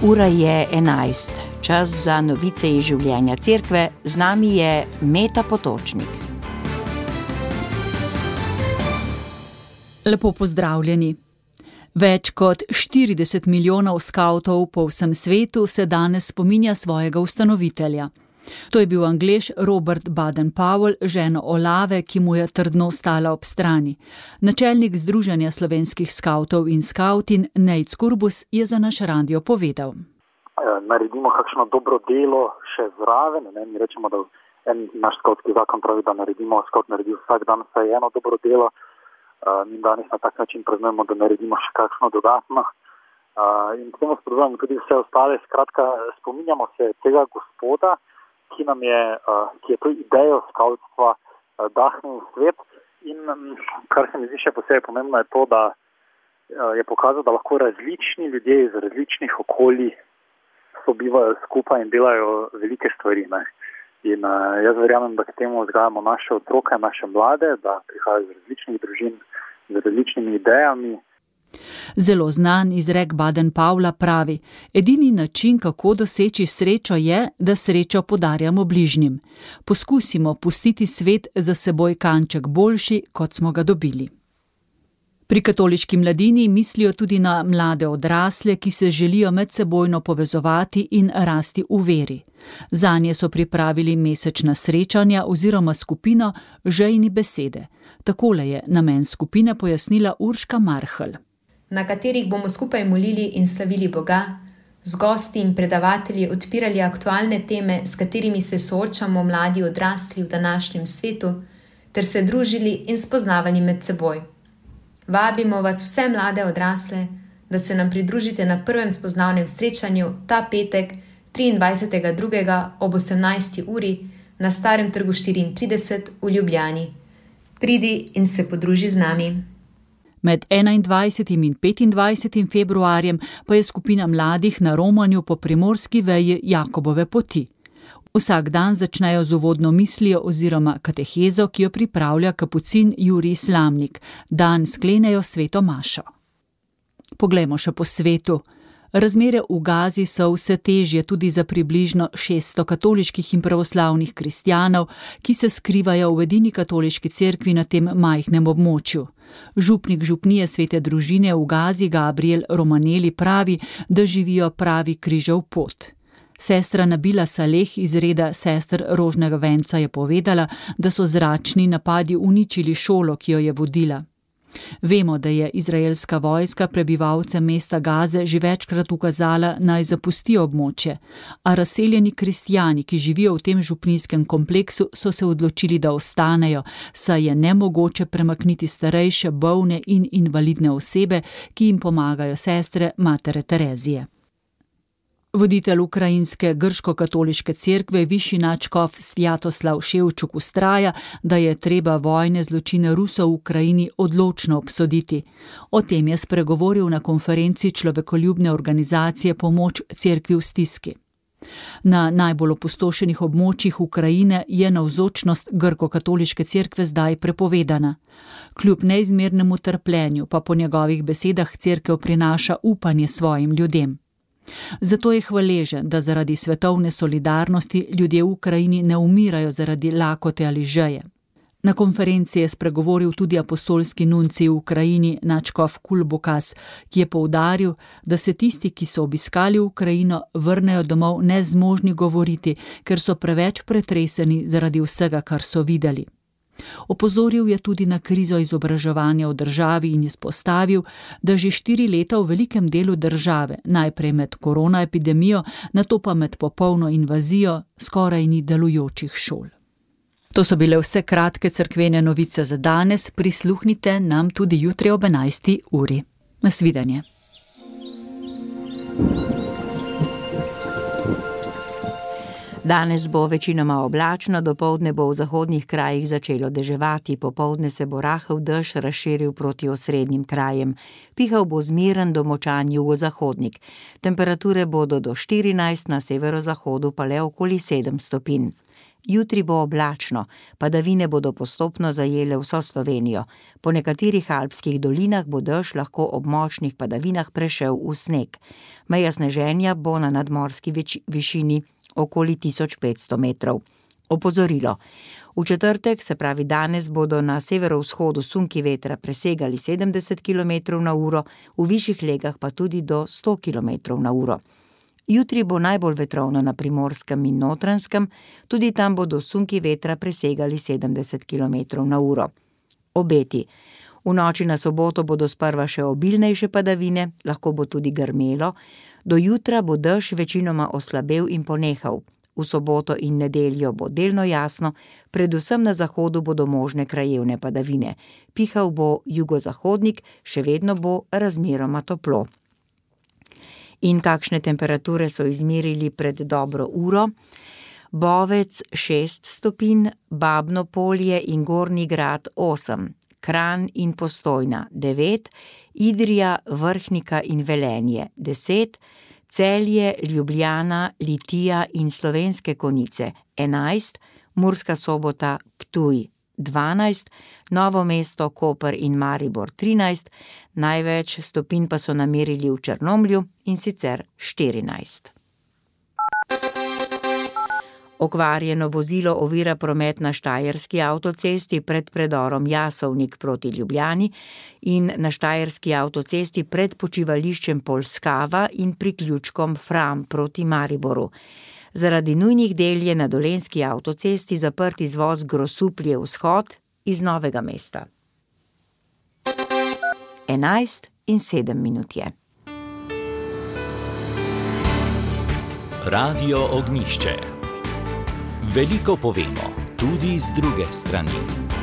Ura je 11, čas za novice iz življenja cerkve, z nami je Meta Potočnik. Lepo pozdravljeni. Več kot 40 milijonov skavtov po vsem svetu se danes spominja svojega ustanovitelja. To je bil Anglež Robert Baden-Powell, ženo Olave, ki mu je trdno stala ob strani. Načelnik Združenja slovenskih skavtov in skavtin Nejc Kurbus je za naš radio povedal. Naredimo kakšno dobro delo še zraven. Mi rečemo, da naš skavtski zakon pravi, da skavt naredi vsak dan vsaj eno dobro delo. Mi danes na tak način praznujemo, da naredimo še kakšno dodatno. In potem spodbujamo tudi vse ostale. Skratka, spominjamo se tega gospoda, ki je to idejo skavtstva dahnil v svet. In kar se mi zdi še posebej pomembno je to, da je pokazal, da lahko različni ljudje iz različnih okolij sobivajo skupaj in delajo velike stvari. In jaz verjamem, da k temu vzgajamo naše otroke, naše mlade, da prihajajo iz različnih družin, z različnimi idejami. Zelo znan izrek Baden-Powella pravi: edini način, kako doseči srečo je, da srečo podarjamo bližnjim. Poskusimo pustiti svet za seboj kanček boljši, kot smo ga dobili. Pri katoliški mladini mislijo tudi na mlade odrasle, ki se želijo medsebojno povezovati in rasti v veri. Zanje so pripravili mesečna srečanja oziroma skupino Žejni besede. Takole je namen skupine pojasnila Urška Marhelj. Na katerih bomo skupaj molili in slavili Boga, z gosti in predavatelji odpirali aktualne teme, s katerimi se soočamo mladi odrasli v današnjem svetu, ter se družili in spoznavali med seboj. Vabimo vas vse mlade odrasle, da se nam pridružite na prvem spoznavnem srečanju ta petek 23.2. ob 18. uri na Starem trgu 34 v Ljubljani. Pridi in se podruži z nami. Med 21. in 25. februarjem pa je skupina mladih na romanju po primorski veji Jakobove poti. Vsak dan začnejo z uvodno mislijo oziroma katehezo, ki jo pripravlja kapucin Jurij Slamnik. Dan sklenejo sveto mašo. Poglejmo še po svetu. Razmere v Gazi so vse težje tudi za približno 600 katoliških in pravoslavnih kristjanov, ki se skrivajo v edini katoliški cerkvi na tem majhnem območju. Župnik župnije Svete družine v Gazi Gabriel Romaneli pravi, da živijo pravi križev pot. Sestra Nabila Saleh iz reda sester Rožnega venca je povedala, da so zračni napadi uničili šolo, ki jo je vodila. Vemo, da je izraelska vojska prebivalcem mesta Gaze že večkrat ukazala, naj zapustijo območje, a razseljeni kristjani, ki živijo v tem župnijskem kompleksu, so se odločili, da ostanejo, saj je nemogoče premakniti starejše, bolne in invalidne osebe, ki jim pomagajo sestre Matere Terezije. Voditelj ukrajinske grško-katoliške cerkve, višji nadškof Svjatoslav Ševčuk vztraja, da je treba vojne zločine Rusov v Ukrajini odločno obsoditi. O tem je spregovoril na konferenci človekoljubne organizacije Pomoč cerkvi v stiski. Na najbolj opustošenih območjih Ukrajine je navzočnost grko-katoliške cerkve zdaj prepovedana. Kljub neizmernemu trpljenju pa po njegovih besedah cerkev prinaša upanje svojim ljudem. Zato je hvaležen, da zaradi svetovne solidarnosti ljudje v Ukrajini ne umirajo zaradi lakote ali žeje. Na konferenci je spregovoril tudi apostolski nuncij v Ukrajini nadškof Kulbokas, ki je poudaril, da se tisti, ki so obiskali Ukrajino, vrnejo domov nezmožni govoriti, ker so preveč pretreseni zaradi vsega, kar so videli. Opozoril je tudi na krizo izobraževanja v državi in izpostavil, da že 4 leta v velikem delu države, najprej med koronaepidemijo, nato pa med popolno invazijo, skoraj ni delujočih šol. To so bile vse kratke cerkvene novice za danes, prisluhnite nam tudi jutri ob 11. uri. Nasvidenje. Danes bo večinoma oblačno, dopoldne bo v zahodnih krajih začelo deževati, popoldne se bo rahel dež razširil proti osrednjim krajem. Pihal bo zmeren do močan jugozahodnik. Temperature bodo do 14, na severozahodu pa le okoli 7 stopinj. Jutri bo oblačno, padavine bodo postopno zajele vso Slovenijo. Po nekaterih alpskih dolinah bo dež lahko ob močnih padavinah prešel v sneg. Meja sneženja bo na nadmorski višini okoli 1500 metrov. Opozorilo. V četrtek, se pravi danes, bodo na severovzhodu sunki vetra presegali 70 km/h, v višjih legah pa tudi do 100 km/h. Jutri bo najbolj vetrovno na Primorskem in Notranjskem, tudi tam bodo sunki vetra presegali 70 km/h. Obeti. V noči na soboto bodo sprva še obilnejše padavine, lahko bo tudi grmelo, do jutra bo dež večinoma oslabel in ponehal. V soboto in nedeljo bo delno jasno, predvsem na zahodu bodo možne krajevne padavine. Pihal bo jugozahodnik, še vedno bo razmeroma toplo. In kakšne temperature so izmerili pred dobro uro? Bovec 6 stopinj, Babno Polje in Gornji Grad 8, Kranj in Postojna 9, Idrija, Vrhnika in Velenje 10, Celje, Ljubljana, Litija in Slovenske Konjice 11, Murska Sobota, Ptuj 12, Novo mesto, Koper in Maribor 13, največ stopinj pa so namerili v Črnomlju, in sicer 14. Okvarjeno vozilo ovira promet na štajerski avtocesti pred predorom Jasovnik proti Ljubljani in na štajerski avtocesti pred počivališčem Polskava in priključkom Fram proti Mariboru. Zaradi nujnih del je na dolenjski avtocesti zaprt izvoz Grosuplje vzhod iz Novega mesta. 11:07 je. Radio Ognjišče. Veliko povemo, tudi z druge strani.